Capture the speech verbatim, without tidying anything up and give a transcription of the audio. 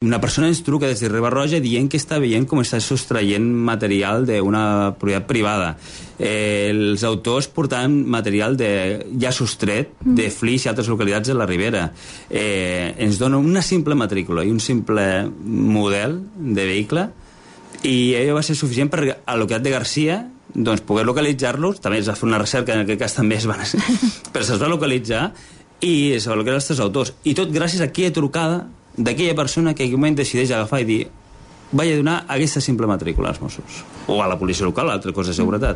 Una persona ens truca des de Riba-roja dient que està veient com està sostraient material d'una propietat privada. Eh, els autors portaven material de, ja sostret de Flix i altres localitats de la Ribera. Eh, ens donen una simple matrícula i un simple model de vehicle i allò va ser suficient per a la localitat de Garcia doncs, poder localitzar-los. També es va fer una recerca, en aquest cas també es van... però se'ls va localitzar i es va localitzar els tres autors. I tot gràcies a aquella trucada d'aquella persona que en aquell moment decideix agafar i dir vaig a donar aquesta simple matrícula als Mossos o a la policia local, a altre cos de seguretat.